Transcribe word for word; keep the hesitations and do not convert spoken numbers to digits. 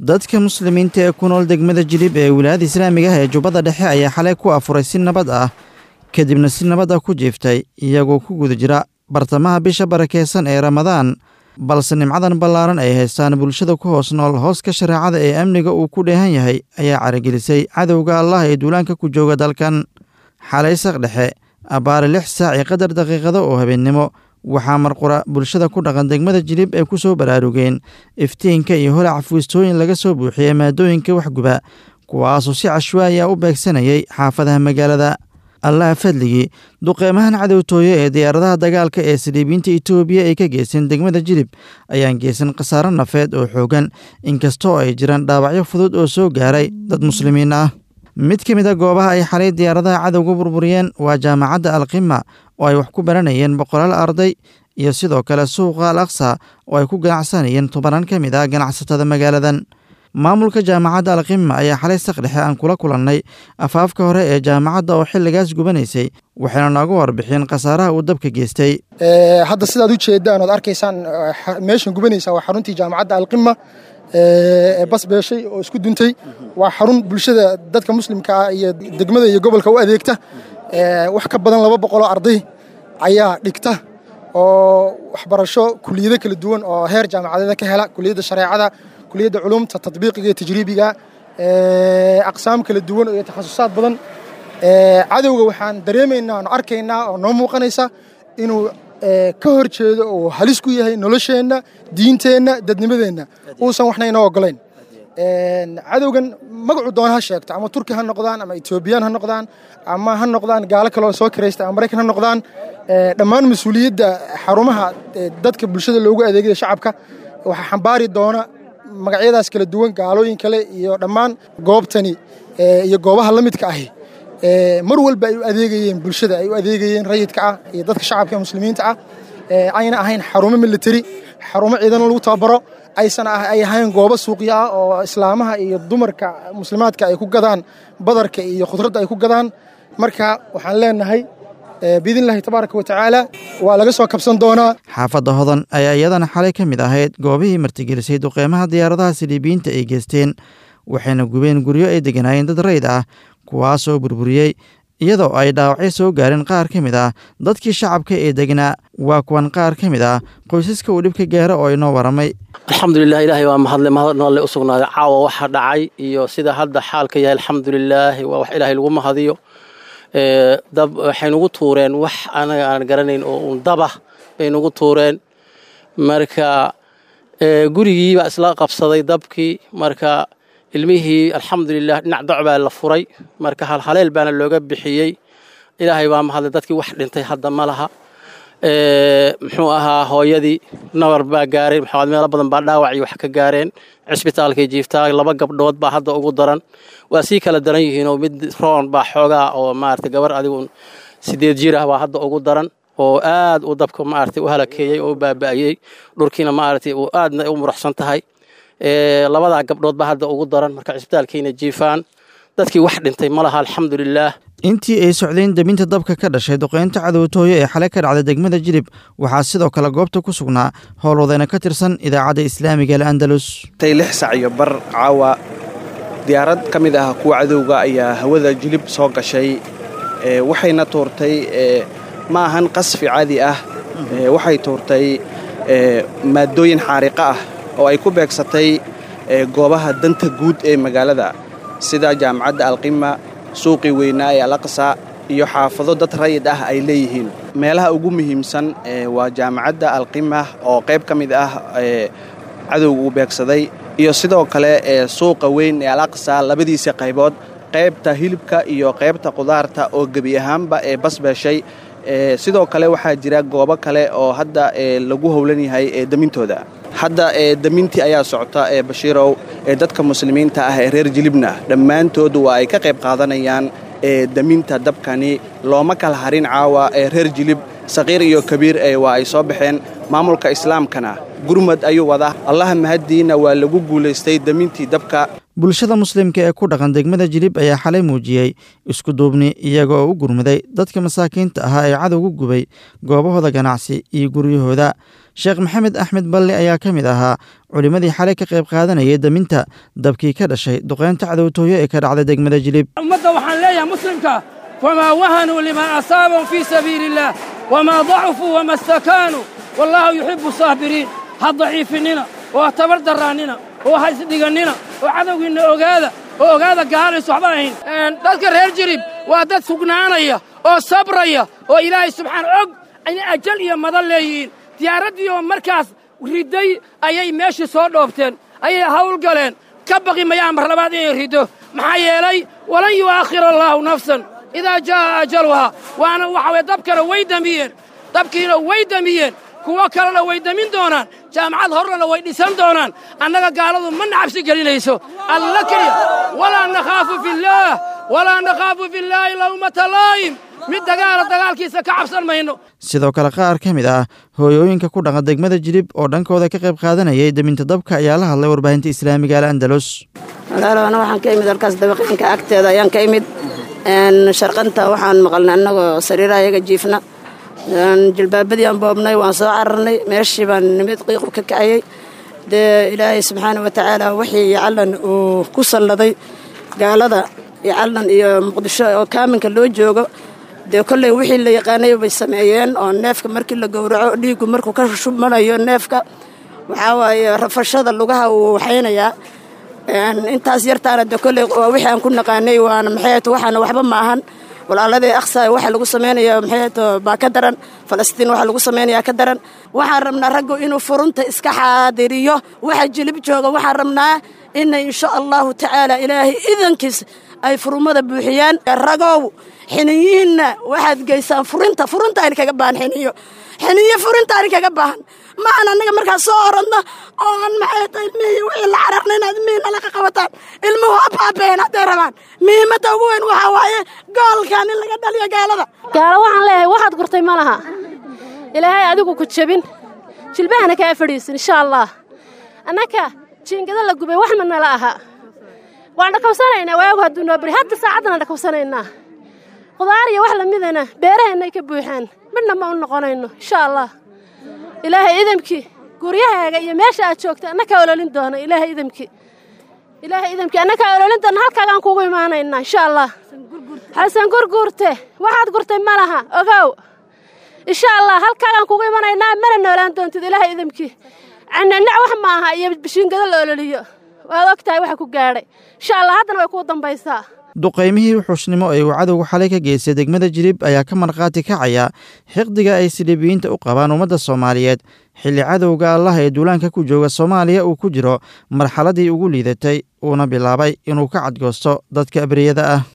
Dadka muslimiinta ee ku nool degmada Jilib ee wilaayada islaamiga ah ee Jubbada Dhexe ayaa xalay ku afuray si nabad ah, kadibna si nabad ah ku jiiftay, iyagoo ku guda jira bartamaha bisha barakeysan ee Ramadaan. Balse nimcadan ballaaran ay haystaan bulshada ku hoos nool hooska shareecada ee amniga uu ku dheehan yahay ayaa caragelisay cadowga Allah ee duulaanka ku jooga dalkan. Xalay saq dhexe abbaare lix saac iyo qadar daqiiqado oo habeennimo, waxaa marqura bulshada ku dhaqan degmada Jilib ay ku soo baraarugeen iftiinka iyo holaca fuustooyin laga soo buuxiyey maadooyinka waxguba, kuwaasoo si cashwaaya u beegsanayay xaafadaha magaalada. Allaha fadligii, duqeymahan cadowtooye ee diyaaradaha dagaalka ee saliibiinta Itoobiya ay ka geysteen degmada Jilib ayaan geysan khasaaro nafeed oo xoogan, inkastoo ay jiraan dhaawacyo fudud oo soo gaaray dad muslimiin ah. Mid ka mid a goobaha ay xalay diyaaradaha cadowga burburiyeen waa jaamacadda Alqima oo ay wax ku baranayeen boqolaal arday, iyo sidoo kale suuqa Al Aqsa oo ay ku ganacsanayeen tobanaan ka mid ah ganacsatada magaaladan. Maamulka jaamacadda Alqima ayaa xalay saq dhexe aan kula kulannay afaafka hore ee jaamacadda oo xilligaas gubanaysay, waxayna nooga warbixiyeen khasaaraha uu dabka geystay. Hadda sidaad u jeedaan ood arkaysaan, meeshan gubanaysa waa xaruntii jaamacadda Alqima ee bas beeshay oo isku duntay. Waa xarun bulshada dadka muslimka ah iyo degmada iyo gobolka u adeegta. Wax ka badan laba boqoloo arday ayaa dhigta oo waxbarasho kuliyado kala duwan oo heer jaamacadeeda ka hela, kuliyadda shareecada, kuliyadda culumta tatbiiqiga iyo tajriibiga, aqsaam kala duwan iyo takhasusaad badan. Cadowga waxaan dareemaynaa oon arkaynaa oo noo muuqanaysa inuu ka hor jeedo oo halis ku yahay nolosheenna, diinteenna, dadnimadeenna, uusan waxna inoo ogolayn. Cadowgan magacuu doona ha sheegto, ama Turki ha noqdaan, ama Etoobiyaan ha noqdaan, ama ha noqdaan gaalo kale oo soo kiraysta, ama Maraykan ha noqdaan, dhammaan mas-uuliyadda xarumaha dadka bulshada loogu adeegaya shacabka waxaa xambaari doona magacyadaas kala duwan, gaalooyin kale iyo dhammaan goobtani iyo goobaha la midka ahi mar walba ay u adeegayeen bulshada, ay u adeegayeen rayidka ah iyo dadka shacabka ee muslimiinta ah, ayna ahayn xarumo military, xarumo ciidan lagu tababaro, aysan ay ahayn goobo suuqyo ah oo islaamaha iyo dumarka muslimaadka ay ku gadaan badarka iyo khudradda ay ku gadaan. Marka waxaan leenahay biidnillahi tabaaraka wa tacaala waa laga soo kabsan doonaa. Xaafadda Hodan ayaa iyadana xalay ka mid ahayd goobihii martigelisay duqeymaha diyaaradaha saliibiyiinta ay geysteen, waxayna gubeen guryo ay deganaayeen dad rayid ah, kuwaasoo burburiyey, iyadoo ay dhaawacyo soo gaareen qaar ka mid ah dadkii shacabka ee degnaa. Waa kuwan qaar ka mid ah qoysaska uu dhibka gaaro oo inoo waramay. Alxamdulilah, ilaahay waa mahadle, mahad alle u sugnaaday. Caawa waxa dhacay iyo sida hadda xaalka yahay, alxamdulilaahi, waa wax ilaahay lagu mahadiyo. Dab waxay nugu tuureen wax anaga aan garanayn oo uun dabah bay nugu tuureen. Marka gurigii baa isla qabsaday dabkii. Marka ilmihii alxamdulilah dhinac doc baa la furay, marka halhaleel baana looga bixiyey. Ilaahay baa mahadlay, dadkii wax dhintay hadda ma laha. Muxuu ahaa, hooyadii nabar baa gaaray, maxamed meelo badan baa dhaawac iyo wax ka gaareen, cisbitaalkay jiiftaa. Laba gabdhood baa hadda ugu daran, waa sii kala daran yihiinoo mid roon baa xoogaa oo maarata gabar adigu sideed jir ah baa hadda ugu daran oo aad u dabka maarata u halakeeyey oo u baaba'iyey, dhurkiina maarata uu aadna u muruxsan tahay. Labadaa gabdhood baa hadda ugu daran, marka cisbitaalkayna jiifaan. Dadkii wax dhintay ma laha, alxamdulilaah. Intii ay socdeen debinta dabka ka dhashay duqeynta cadowtooyo ee xalay ka dhacday degmada Jilib, waxaa sidoo kale goobta ku sugnaa howlwadeyna ka tirsan idaacadda islaamiga Al-Andalus. Tay lix sac iyo bar caawa, diyaarad ka mid ah kuwa cadowga ayaa hawada Jilib soo gashay, waxayna tuurtay, ma ahan qasfi caadi ah, waxay tuurtay maadooyin xaariqa ah oo ay ku beegsatay goobaha danta guud ee magaalada, sida jaamacadda Alqima, suuqii weynaa ee Alaqsa iyo xaafado dad rayid ah ay leeyihiin. Meelaha ugu muhiimsan waa jaamacadda Alqima oo qayb ka mid ah cadowga uu beegsaday, iyo sidoo kale suuqa weyn ee Alaqsa labadiisa qaybood, qaybta hilibka iyo qaybta qudaarta oo gebi ahaanba ee basbeeshay. Sidoo kale waxaa jira goobo kale oo hadda lagu howlan yahay demintooda. Hadda demintii ayaa socota ee Bashiirow. Ee dadka muslimiinta ah ee reer Jilibna dhammaantood waa ay ka qayb qaadanayaan deminta dabkani. Looma kala harin caawa ee reer Jilib, saqiir iyo kabiir waa ay soo baxeen. Maamulka islaamkana gurmad ayuu wadaa. Allaha mahaddiina waa lagu guulaystay demintii dabka. Bulshada muslimka ee ku dhaqan degmada Jilib ayaa xalay muujiyey isku duubni, iyaga oo u gurmaday dadka masaakiinta ahaa ee cadowgu gubay goobahooda ganacsi iyo guryahooda. Sheekh Maxamed Axmed Balle ayaa ka mid ahaa culimmadii xalay ka qayb qaadanayay daminta dabkii ka dhashay duqeynta cadowtooyo ee ka dhacday degmada Jilib. Ummadda waxaan leeyahay muslimka, famaa wahanuu limaa asaabahum fii sabiili illaah wamaa dacufuu wama stakaanuu wallaahu yuxibbu saabiriin. Ha daciifinina oo ha tabar darraannina oo ha isdhigannina oo cadowgiinna ogaada oo ogaada gaalaysu waxba ahayn. Dadka reer Jilib waa dad sugnaanaya oo sabraya oo Ilaahay subxaan og in ajal iyo madan leeyihiin. Diyaaraddii oo markaas ridday ayay meeshii soo dhoobteen, ayay hawl galeen. Ka baqi mayaan mar labaad inay riddo, maxaa yeelay walan yu'aakhira allaahu nafsan idaa jaa'a ajaluhaa. Waana waxa weye dabkana way damiyeen, dabkiina way damiyeen, kuwo kalena way damin doonaan, jaamacad horrena way dhisan doonaan. Annaga gaaladu ma nacabsi gelinayso, alla keliya. Walaa nakhaafu fillaah, walaa nakhaafu fillaahi lawmata laa'im. Mid dagaala dagaalkiisa ka cabsan mayno. Sidoo kale qaar ka mid ah hooyooyinka ku dhaqan degmada Jilib oo dhankooda ka qayb qaadanayay daminta dabka ayaa la hadlay warbaahinta islaamiga Al Andalus. Walaalow, ana waxaan ka imid halkaas dabaqeenka agteeda ayaan ka imid. Sharqanta waxaan maqalnay annagoo sariiraha iyaga jiifna, jilbaabadii aan boobnay, waan soo cararnay, meeshii baan nimid, qiiqu ka kacayay. Dee Ilaahay subxaana wa tacaala wixii yacallan uu ku salladay gaalada yacallan iyo Muqdisho oo kaaminka loo joogo, dee kolley wixii la yaqaanay bay sameeyeen oo neefka markii la gowraco dhiiggu markuu ka shubmanayo neefka, waxaa waaye rafashada lugaha wuu waxaynayaa intaas yartaana. Dee kolley waa wixii aan ku naqaanay, waana maxay, waxaana waxba ma ahan. Walaaladii Aqsa waxa lagu sameynaya maxay baa ka daran, Falastiin waxa lagu samaynayaa ka daran. Waxaan rabnaa raggu inuu furunta iska xaadiriyo. Waxa Jilib jooga waxaan rabnaa inay insha Allahu tacaala Ilaahay idankiis ay furumada buuxiyaan. Ragow, xiniyihiinna waxaad geysaan furinta, furinta ayna kaga baahan xiniyo, xiniyo furinta ayna kaga baahan. Ma aan annaga markaas soo orodno oo aan maxay tahay ilmihii wixii la cararna inaad ilmihii nala qabataan. Ilmuhu ha baabeen hadday rabaan. Muhiimadda ugu weyn waxaa waaye goolkan in laga dhaliyo gaalada. Gaalo waxaan leeyahay, waxaad gurtay ma laha. Ilaahay adigu ku jebin, jilbahana kaa fadhiisin insha Allah. Annaka jiingada la gubay wax ma nala aha. Waan dhakawsanaynaa waagu hadduu noo bari, hadda saacaddana dhakawsanaynaa. Qudaar iyo wax lamidana beeraheennay ka buuxaan, midna ma u noqonayno insha Allah. Ilaahay idamkii guryahaaga iyo meesha aad joogta annakaa ololin doona. Ilaahay idamkii, Ilaahay idamkii annakaa ololin doona, halkaagaan kugu imaanaynaa insha Allah. Xasan Gurguurte, waxaad gurtay ma laha, ogow. Insha Allah halkaagaan kugu imanaynaa, mana noolaan doontid Ilaahay idamkii. Cananac wax ma aha iyo bishiingado la ololiyo, waad og tahay waxa ku gaadhay. Insha Allah haddana way kuu dambaysaa. Duqaymihii wuxuushnimo ee uu cadowga xalay ka geystay degmada Jilib ayaa ka markhaati kacaya xiqdiga ay siliibiyiinta u qabaan ummadda Soomaaliyeed, xilli cadowga Allah ee duulaanka ku jooga Soomaaliya uu ku jiro marxaladii ugu liidatay, uuna bilaabay inuu ka cadgoosto dadka abriyada ah.